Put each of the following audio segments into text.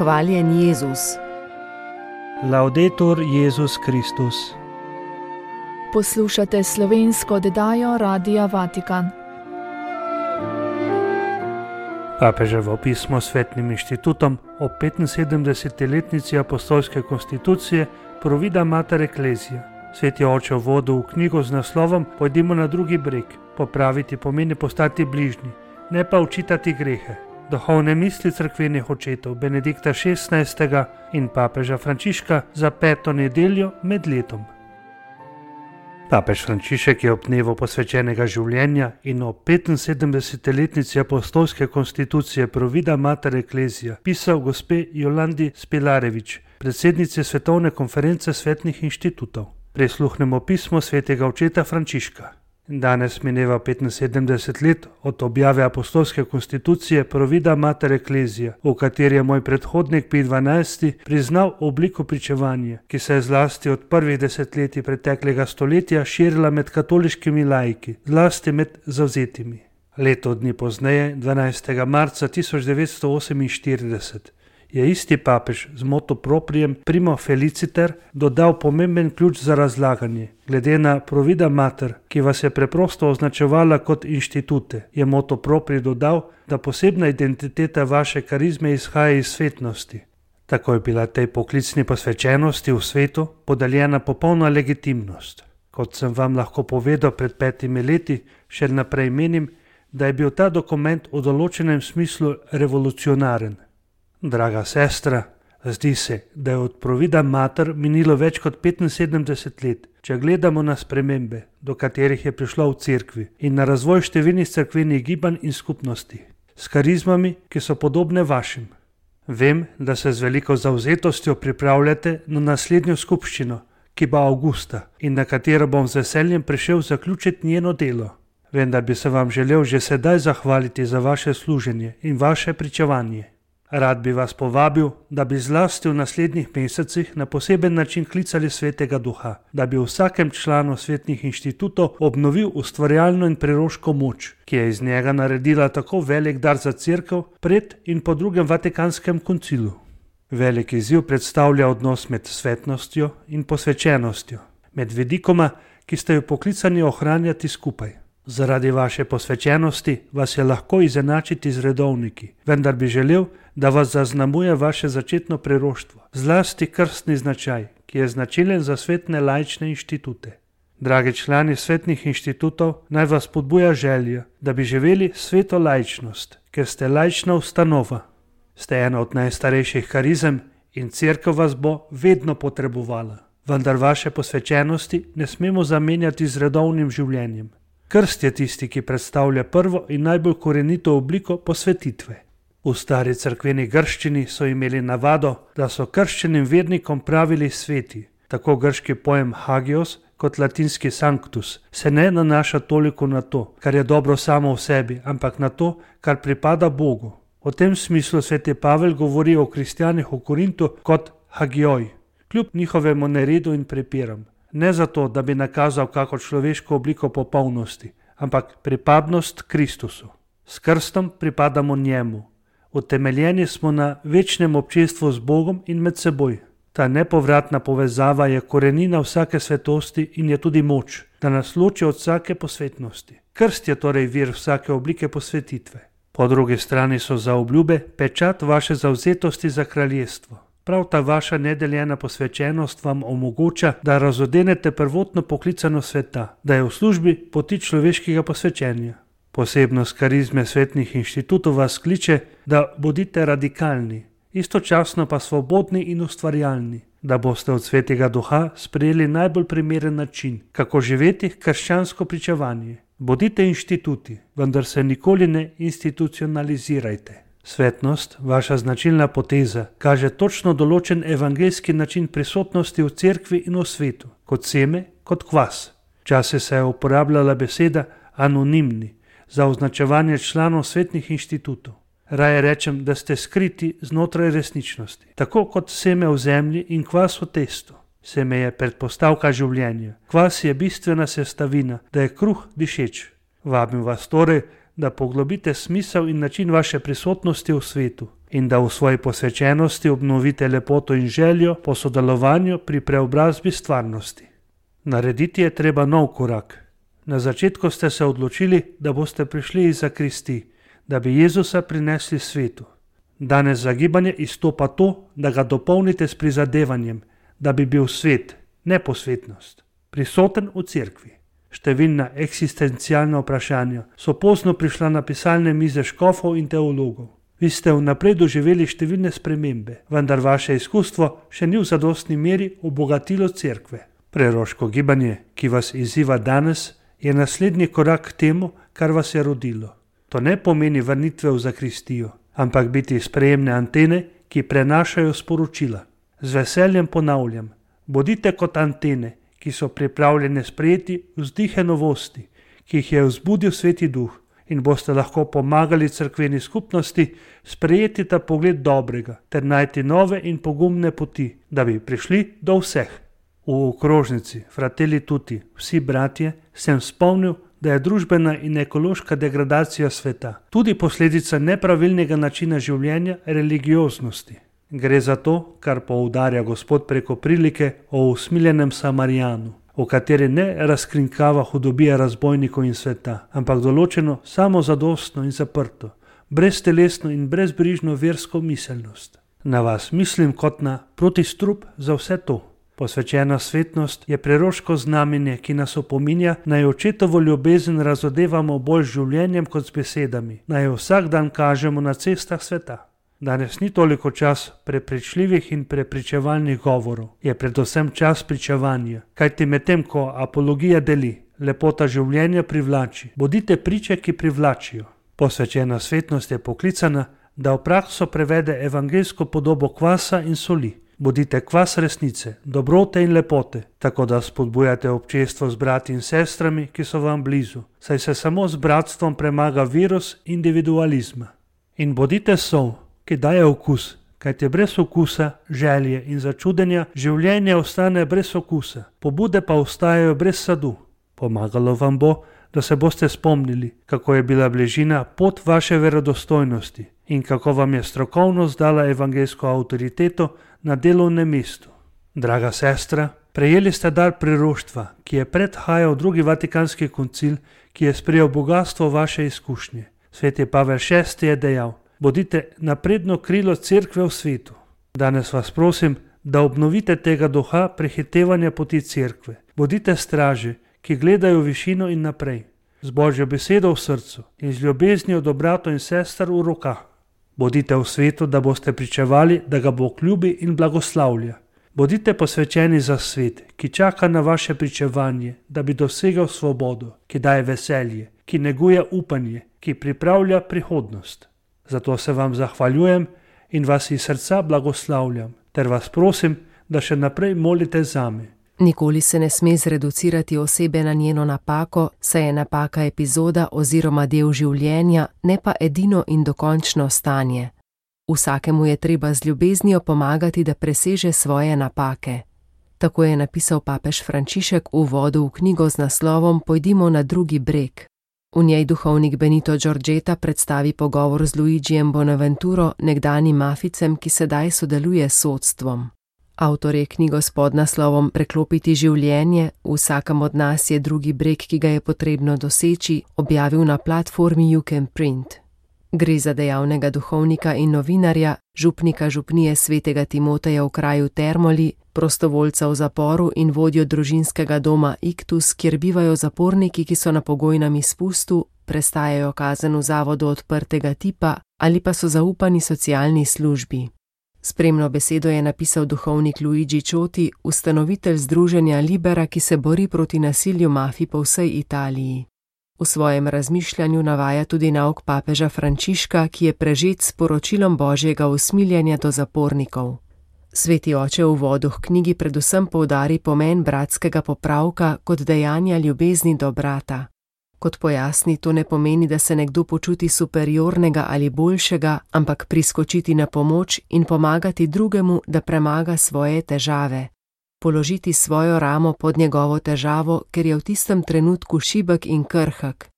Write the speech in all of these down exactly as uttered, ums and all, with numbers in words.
Hvaljen Jezus. Laudetur Jezus Kristus. Poslušate slovensko oddajo Radia Vatikan. Papeževo pismo Svetnim inštitutom o petinsedemdeseti letnici apostolske konstitucije Provida Mater Ecclesia. Sveti oče v vodu v knjigo z naslovom Pojdimo na drugi breg. Popraviti pomeni postati bližnji, ne pa učitati grehe. Duhovne misli cerkvenih očetov Benedikta šestnajstega in papeža Frančiška za peto nedeljo med letom. Papež Frančišek je ob dnevu posvečenega življenja in ob petinsedemdeseti letnici apostolske konstitucije Provida Mater Ecclesia pisal gospe Jolandi Spilarević, predsednici Svetovne konference svetnih inštitutov. Prisluhnemo pismo svetega očeta Frančiška. Danes mineva petinsedemdeset let od objave apostolske konstitucije Provida Mater Ecclesia, v kateri je moj predhodnik Pij dvanajsti priznal obliko pričevanja, ki se je zlasti od prvih desetletij preteklega stoletja širila med katoliškimi laiki, zlasti med zavzetimi. Leto dni pozneje, dvanajstega marca tisoč devetsto oseminštirideset, je isti papež z motu proprijem Primo Feliciter dodal pomemben ključ za razlaganje. Glede na Provida Mater, ki vas je preprosto označevala kot inštitute, je motu propri dodal, da posebna identiteta vaše karizme izhaja iz svetnosti. Tako je bila tej poklicni posvečenosti v svetu podeljena popolna legitimnost. Kot sem vam lahko povedal pred petimi leti, še naprej menim, da je bil ta dokument v določenem smislu revolucionaren. Draga sestra, zdi se, da je od Provida Mater minilo več kot petinsedemdeset let, če gledamo na spremembe, do katerih je prišlo v cerkvi, in na razvoj številnih cerkvenih gibanj in skupnosti, s karizmami, ki so podobne vašim. Vem, da se z veliko zavzetostjo pripravljate na naslednjo skupščino, ki bo avgusta in na katero bom z veseljem prišel zaključiti njeno delo. Vendar bi se vam želel že sedaj zahvaliti za vaše služenje in vaše pričevanje. Rad bi vas povabil, da bi zlasti v naslednjih mesecih na poseben način klicali Svetega Duha, da bi vsakem članu svetnih inštitutov obnovil ustvarjalno in preroško moč, ki je iz njega naredila tako velik dar za cerkev pred in po drugem Vatikanskem koncilu. Velik izziv predstavlja odnos med svetnostjo in posvečenostjo, med vidikoma, ki ste jo poklicani ohranjati skupaj. Zaradi vaše posvečenosti vas je lahko izenačiti z redovniki, vendar bi želel, da vas zaznamuje vaše začetno preroštvo, zlasti krstni značaj, ki je značilen za svetne laične inštitute. Dragi člani svetnih inštitutov, naj vas spodbuja želja, da bi živeli sveto laičnost, ker ste laična ustanova. Ste ena od najstarejših karizem in cerkev vas bo vedno potrebovala, vendar vaše posvečenosti ne smemo zamenjati z redovnim življenjem. Krst je tisti, ki predstavlja prvo in najbolj korenito obliko posvetitve. V stari cerkveni grščini so imeli navado, da so krščenim vernikom pravili sveti. Tako grški pojem hagios kot latinski sanctus se ne nanaša toliko na to, kar je dobro samo v sebi, ampak na to, kar pripada Bogu. V tem smislu sveti Pavel govori o kristjanih v Korintu kot hagioj, kljub njihovemu neredu in prepiram. Ne zato, da bi nakazal kako človeško obliko popolnosti, ampak pripadnost Kristusu. S krstom pripadamo njemu. Utemeljeni smo na večnem občestvu z Bogom in med seboj. Ta nepovratna povezava je korenina vsake svetosti in je tudi moč, da nas loči od vsake posvetnosti. Krst je torej vir vsake oblike posvetitve. Po drugi strani so zaobljube pečat vaše zavzetosti za kraljestvo. Prav ta vaša nedeljena posvečenost vam omogoča, da razodenete prvotno poklicano sveta, da je v službi poti človeškega posvečenja. Posebnost karizme svetnih inštitutov vas kliče, da bodite radikalni, istočasno pa svobodni in ustvarjalni, da boste od Svetega Duha sprejeli najbolj primeren način, kako živeti krščansko pričevanje. Bodite inštituti, vendar se nikoli ne institucionalizirajte. Svetnost, vaša značilna poteza, kaže točno določen evangeljski način prisotnosti v cerkvi in v svetu, kot seme, kot kvas. Včasih se je uporabljala beseda anonimni za označevanje članov svetnih inštitutov. Raje rečem, da ste skriti znotraj resničnosti, tako kot seme v zemlji in kvas v testu. Seme je predpostavka življenja, kvas je bistvena sestavina, da je kruh dišeč. Vabim vas torej, da poglobite smisel in način vaše prisotnosti v svetu in da v svoji posvečenosti obnovite lepoto in željo po sodelovanju pri preobrazbi stvarnosti. Narediti je treba nov korak. Na začetku ste se odločili, da boste prišli iz zakristi, da bi Jezusa prinesli svetu. Danes za gibanje izstopa to, da ga dopolnite s prizadevanjem, da bi bil svet, ne posvetnost, prisoten v cerkvi. Številna eksistencialna vprašanja so pozno prišla na pisalne mize škofov in teologov. Vi ste vnaprej doživeli številne spremembe, vendar vaše izkustvo še ni v zadostni meri obogatilo cerkve. Preroško gibanje, ki vas izziva danes, je naslednji korak k temu, kar vas je rodilo. To ne pomeni vrnitve v zakristijo, ampak biti sprejemne antene, ki prenašajo sporočila. Z veseljem ponavljam, bodite kot antene, ki so pripravljene sprejeti vzdihe novosti, ki jih je vzbudil Sveti Duh, in boste lahko pomagali cerkveni skupnosti sprejeti ta pogled dobrega ter najti nove in pogumne poti, da bi prišli do vseh. V okrožnici Fratelli Tutti, vsi bratje, sem spomnil, da je družbena in ekološka degradacija sveta tudi posledica nepravilnega načina življenja religioznosti. Gre za to, kar poudarja Gospod preko prilike o usmiljenem Samarijanu, v kateri ne razkrinkava hudobija razbojnikov in sveta, ampak določeno samozadostno in zaprto, breztelesno in brezbrižno versko miselnost. Na vas mislim kot na protistrup za vse to. Posvečena svetnost je preroško znamenje, ki nas opominja, naj očetovo ljubezen razodevamo bolj z življenjem kot z besedami, naj jo vsak dan kažemo na cestah sveta. Danes ni toliko čas prepričljivih in prepričevalnih govorov, je predvsem čas pričevanja, kajti medtem ko apologija deli, lepota življenja privlači, bodite priče, ki privlačijo. Posvečena svetnost je poklicana, da v prakso prevede evangeljsko podobo kvasa in soli. Bodite kvas resnice, dobrote in lepote, tako da spodbujate občestvo z brati in sestrami, ki so vam blizu, saj se samo z bratstvom premaga virus individualizma. In bodite sol, ki daje okus, kajte brez okusa, želje in začudenja življenje ostane brez okusa, pobude pa ostajajo brez sadu. Pomagalo vam bo, da se boste spomnili, kako je bila bližina pot vaše verodostojnosti in kako vam je strokovnost dala evangeljsko avtoriteto na delovnem mestu. Draga sestra, prejeli ste dar priroštva, ki je predhajal drugi vatikanski koncil, ki je sprejel bogatstvo vaše izkušnje. Sveti Pavel šesti je dejal: bodite napredno krilo cerkve v svetu. Danes vas prosim, da obnovite tega duha prehitevanja poti cerkve. Bodite straži, ki gledajo v višino in naprej, z Božjo besedo v srcu in z ljubeznijo do bratov in sester v rokah. Bodite v svetu, da boste pričevali, da ga Bog ljubi in blagoslavlja. Bodite posvečeni za svet, ki čaka na vaše pričevanje, da bi dosegel svobodo, ki daje veselje, ki neguje upanje, ki pripravlja prihodnost. Zato se vam zahvaljujem in vas iz srca blagoslavljam, ter vas prosim, da še naprej molite zame. Nikoli se ne sme zreducirati osebe na njeno napako, saj je napaka epizoda oziroma del življenja, ne pa edino in dokončno stanje. Vsakemu je treba z ljubeznijo pomagati, da preseže svoje napake. Tako je napisal papež Frančišek v uvodu v knjigo z naslovom Pojdimo na drugi breg. V njej duhovnik Benito Giorgetta predstavi pogovor z Luigijem Bonaventuro, nekdanjim maficem, ki sedaj sodeluje s sodstvom. Avtor je knjigo s podnaslovom Preklopiti življenje, vsakem od nas je drugi breg, ki ga je potrebno doseči, objavil na platformi You Can Print. Gre za dejavnega duhovnika in novinarja, župnika župnije svetega Timoteja v kraju Termoli, prostovoljca v zaporu in vodjo družinskega doma Iktus, kjer bivajo zaporniki, ki so na pogojnem izpustu, prestajajo kazen v zavodu odprtega tipa ali pa so zaupani socialni službi. Spremno besedo je napisal duhovnik Luigi Cioti, ustanovitelj združenja Libera, ki se bori proti nasilju mafij po vsej Italiji. V svojem razmišljanju navaja tudi nauk papeža Frančiška, ki je prežet s poročilom Božjega usmiljenja do zapornikov. Sveti oče v uvodu k knjigi predvsem poudari pomen bratskega popravka kot dejanja ljubezni do brata. Kot pojasni, to ne pomeni, da se nekdo počuti superiornega ali boljšega, ampak priskočiti na pomoč in pomagati drugemu, da premaga svoje težave. Položiti svojo ramo pod njegovo težavo, ker je v tistem trenutku šibek in krhek.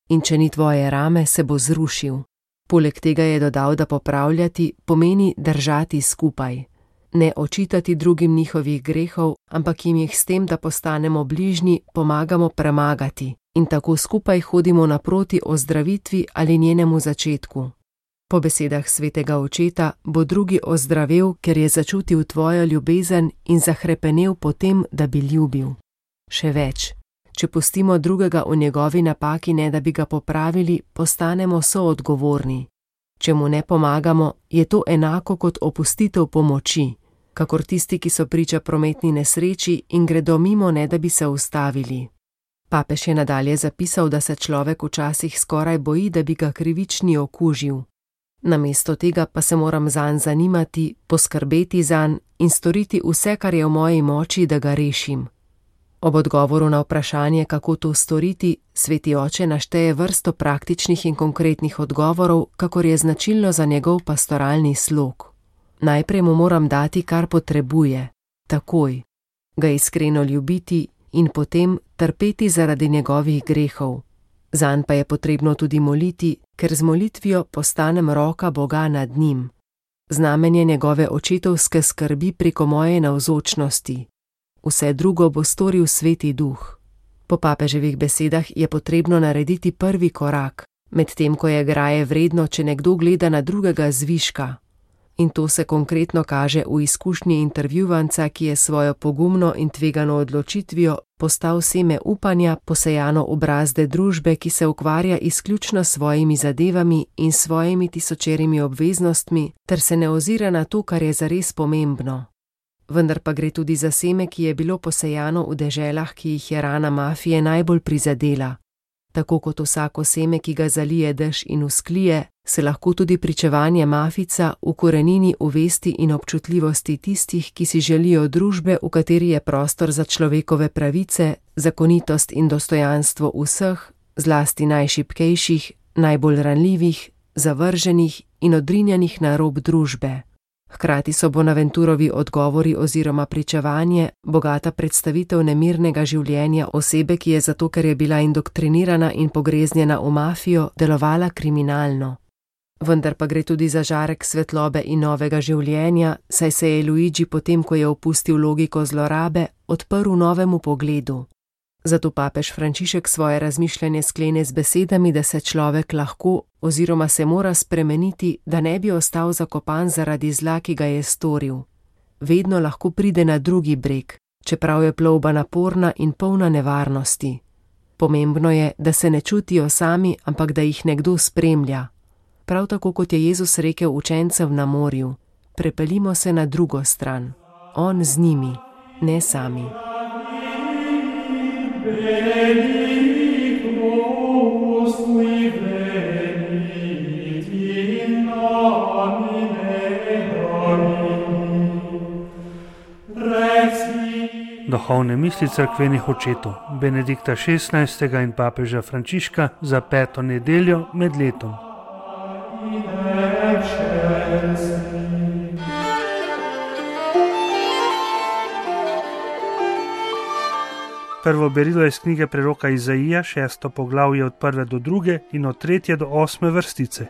In če ni tvoje rame, se bo zrušil. Poleg tega je dodal, da popravljati pomeni držati skupaj. Ne očitati drugim njihovih grehov, ampak jim jih s tem, da postanemo bližnji, pomagamo premagati in tako skupaj hodimo naproti ozdravitvi ali njenemu začetku. Po besedah svetega očeta bo drugi ozdravel, ker je začutil tvojo ljubezen in zahrepenel po tem, da bi ljubil. Še več, če pustimo drugega v njegovi napaki, ne da bi ga popravili, postanemo soodgovorni. Če mu ne pomagamo, je to enako kot opustitev pomoči, kakor tisti, ki so priča prometni nesreči in gredo mimo, ne da bi se ustavili. Papež je nadalje zapisal, da se človek včasih skoraj boji, da bi ga krivični okužil. Namesto tega pa se moram zanj zanimati, poskrbeti zanj in storiti vse, kar je v moji moči, da ga rešim. Ob odgovoru na vprašanje, kako to storiti, sveti oče našteje vrsto praktičnih in konkretnih odgovorov, kakor je značilno za njegov pastoralni slog. Najprej mu moram dati, kar potrebuje, takoj, ga iskreno ljubiti in potem trpeti zaradi njegovih grehov. Zanj pa je potrebno tudi moliti, ker z molitvijo postanem roka Boga nad njim. Znamenje njegove očetovske skrbi preko moje navzočnosti. Vse drugo bo storil Sveti Duh. Po papeževih besedah je potrebno narediti prvi korak, medtem ko je graje vredno, če nekdo gleda na drugega zviška. In to se konkretno kaže v izkušnji intervjuvanca, ki je svojo pogumno in tvegano odločitvijo postal seme upanja, posejano v brazde družbe, ki se ukvarja izključno s svojimi zadevami in svojimi tisočerimi obveznostmi, ter se ne ozira na to, kar je zares pomembno. Vendar pa gre tudi za seme, ki je bilo posejano v deželah, ki jih je rana mafije najbolj prizadela. Tako kot vsako seme, ki ga zalije dež in usklije, se lahko tudi pričevanje mafica ukorenini v vesti in občutljivosti tistih, ki si želijo družbe, v kateri je prostor za človekove pravice, zakonitost in dostojanstvo vseh, zlasti najšibkejših, najbolj ranljivih, zavrženih in odrinjenih na rob družbe. Hkrati so Bonaventurovi odgovori oziroma pričevanje bogata predstavitev nemirnega življenja osebe, ki je zato, ker je bila indoktrinirana in pogreznjena v mafijo, delovala kriminalno. Vendar pa gre tudi za žarek svetlobe in novega življenja, saj se je Luigi potem, ko je opustil logiko zlorabe, odprl novemu pogledu. Zato papež Frančišek svoje razmišljanje sklene z besedami, da se človek lahko oziroma se mora spremeniti, da ne bi ostal zakopan zaradi zla, ki ga je storil. Vedno lahko pride na drugi breg, čeprav je plovba naporna in polna nevarnosti. Pomembno je, da se ne čutijo sami, ampak da jih nekdo spremlja. Prav tako kot je Jezus rekel učencem na morju, prepeljimo se na drugo stran, on z njimi, ne sami. Duhovne misli cerkvenih očetov Benedikta šestnajstega in papeža Frančiška za peto nedeljo med letom. Prvo berilo je iz knjige preroka Izaija, šesto poglavje od prve do druge in od tretje do osme vrstice.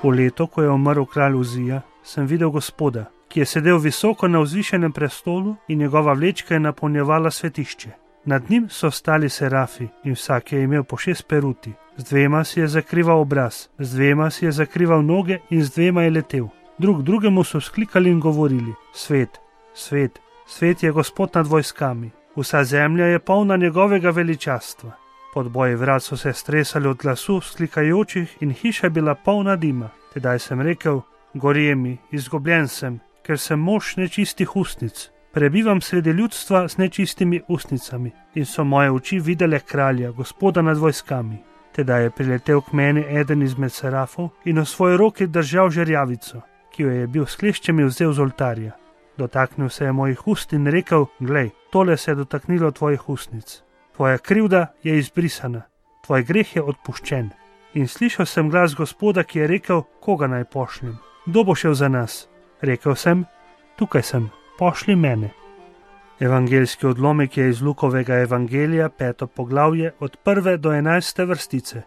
V leto, ko je umrl kralj Uzija, sem videl Gospoda, ki je sedel visoko na vzvišenem prestolu in njegova vlečka je napolnjevala svetišče. Nad njim so stali serafi in vsak je imel po šest peruti. Z dvema si je zakrival obraz, z dvema si je zakrival noge in z dvema je letel. Drug drugemu so vzklikali in govorili: Svet, svet, svet je Gospod nad vojskami, vsa zemlja je polna njegovega veličastva. Podboji vrat so se stresali od glasu vzklikajočih in hiša bila polna dima. Tedaj sem rekel: Gorje mi, izgubljen sem, ker sem mož nečistih ustnic. Prebivam sredi ljudstva s nečistimi ustnicami in so moje oči videle kralja, Gospoda nad vojskami. Tedaj je priletel k meni eden izmed serafov in v svoji roki držal žerjavico, ki jo je bil s kleščami vzel z oltarja. Dotaknil se je mojih ust in rekel: Glej, tole se je dotaknilo tvojih ustnic. Tvoja krivda je izbrisana, tvoj greh je odpuščen. In slišal sem glas Gospoda, ki je rekel: Koga naj pošljem? Kdo bo šel za nas? Rekel sem: Tukaj sem, pošli mene. Evangeljski odlomek je iz Lukovega evangelija, peto poglavje, od prve do enajste vrstice.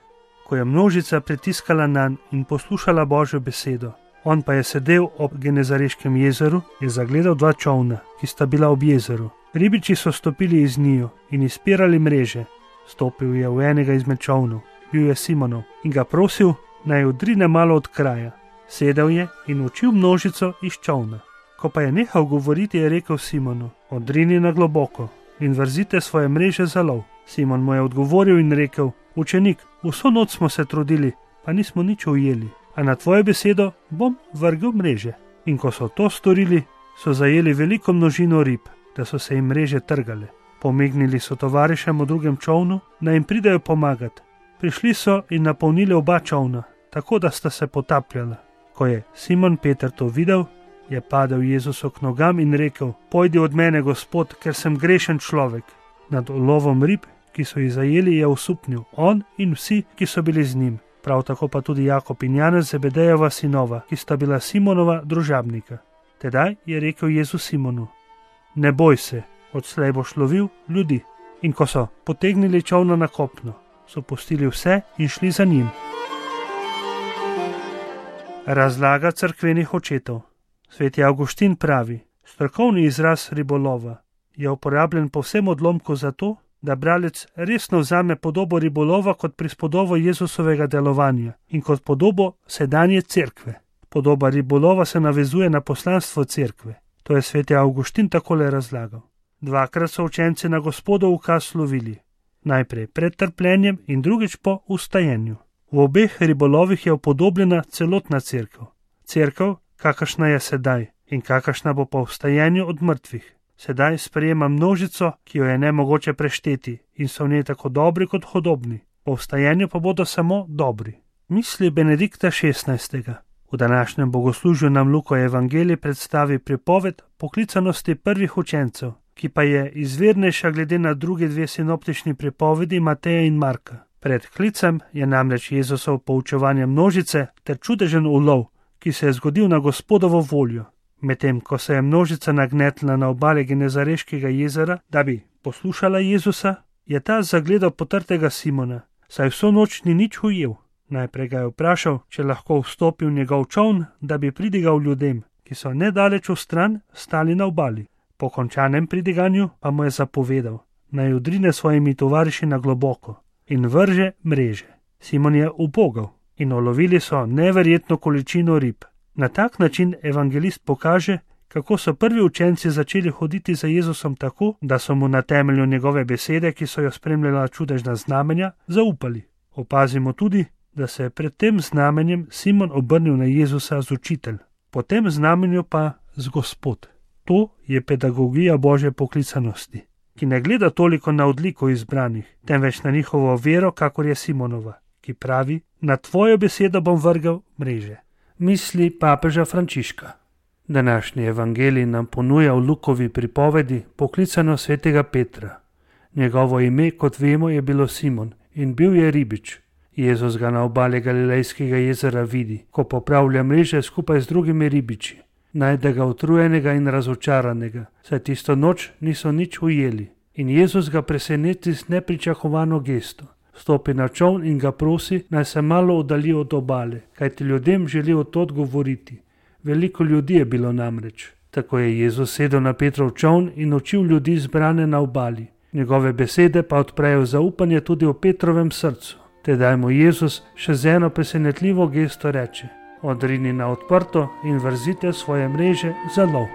ko je množica pritiskala nanj in poslušala Božjo besedo. On pa je sedel ob Genezareškem jezeru in zagledal dva čolna, ki sta bila ob jezeru. Ribiči so stopili iz njiju in izpirali mreže. Stopil je v enega izmed čolnov, bil je Simonov, in ga prosil, naj odrine malo od kraja. Sedel je in učil množico iz čolna. Ko pa je nehal govoriti, je rekel Simonu: odrini na globoko in vrzite svoje mreže za lov. Simon mu je odgovoril in rekel: učenik, vso noč smo se trudili, pa nismo nič ujeli, a na tvojo besedo bom vrgel mreže. In ko so to storili, so zajeli veliko množino rib, da so se jim mreže trgale. Pomignili so tovarišem v drugem čolnu, naj jim pridejo pomagati. Prišli so in napolnili oba čolna, tako da sta se potapljala. Ko je Simon Peter to videl, je padel Jezusu k nogam in rekel: pojdi od mene, Gospod, ker sem grešen človek. Nad ulovom rib, ki so jih zajeli, je osupnil on in vsi, ki so bili z njim. Prav tako pa tudi Jakob in Janez, Zebedejeva sinova, ki sta bila Simonova družabnika. Tedaj je rekel Jezus Simonu: ne boj se, odslej boš lovil ljudi. In ko so potegnili čolna na kopno, so pustili vse in šli za njim. Razlaga cerkvenih očetov. Sveti Avguštin pravi: strokovni izraz ribolova je uporabljen povsem odlomku zato, da bralec resno vzame podobo ribolova kot prispodobo Jezusovega delovanja in kot podobo sedanje cerkve. Podoba ribolova se navezuje na poslanstvo cerkve. To je sveti Avguštin takole razlagal. Dvakrat so učenci na Gospodov ukaz lovili. Najprej pred trpljenjem in drugič po vstajenju. V obeh ribolovih je upodobljena celotna cerkev. Cerkev, kakršna je sedaj in kakršna bo po vstajenju od mrtvih. Sedaj sprejema množico, ki jo je nemogoče prešteti in so v njej tako dobri kot hudobni. Po vstajenju pa bodo samo dobri. Misli Benedikta šestnajstega. V današnjem bogoslužju nam Luka Evangelij predstavi pripoved poklicanosti prvih učencev, ki pa je izvirnejša glede na druge dve sinoptični pripovedi Mateja in Marka. Pred klicem je namreč Jezusov poučevanje množice ter čudežen ulov, ki se je zgodil na Gospodovo voljo. Medtem ko se je množica nagnetla na obale Genezareškega jezera, da bi poslušala Jezusa, je ta zagledal potrtega Simona, saj vso noč ni nič ujel. Najprej ga je vprašal, če lahko vstopi v njegov čoln, da bi pridigal ljudem, ki so nedaleč v stran stali na obali. Po končanem pridiganju pa mu je zapovedal, naj odrine svojimi tovariši na globoko in vrže mreže. Simon je ubogal in ulovili so neverjetno količino rib. Na tak način evangelist pokaže, kako so prvi učenci začeli hoditi za Jezusom tako, da so mu na temelju njegove besede, ki so jo spremljala čudežna znamenja, zaupali. Opazimo tudi, da se je pred tem znamenjem Simon obrnil na Jezusa z učitelj, po tem znamenju pa z Gospod. To je pedagogija Božje poklicanosti, ki ne gleda toliko na odliko izbranih, temveč na njihovo vero, kakor je Simonova, ki pravi: na tvojo besedo bom vrgel mreže. Misli papeža Frančiška. Današnji evangelij nam ponuja v Lukovi pripovedi poklicano svetega Petra. Njegovo ime, kot vemo, je bilo Simon in bil je ribič. Jezus ga na obali Galilejskega jezera vidi, ko popravlja mreže skupaj z drugimi ribiči. Najde ga utrujenega in razočaranega, saj tisto noč niso nič ujeli. In Jezus ga preseneti z nepričakovano gesto. Stopi na čoln in ga prosi, naj se malo oddalji od obale, kajti ljudem želi od tod govoriti. Veliko ljudi je bilo namreč. Tako je Jezus sedel na Petrov čoln in učil ljudi zbrane na obali. Njegove besede pa odprejo zaupanje tudi v Petrovem srcu. Tedaj mu Jezus še z eno presenetljivo gesto reče: odrini na odprto in vrzite svoje mreže za lov.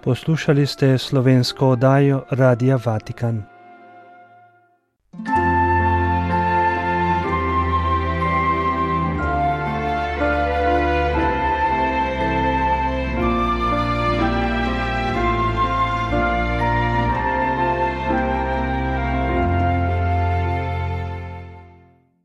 Poslušali ste slovensko oddajo Radia Vatikan.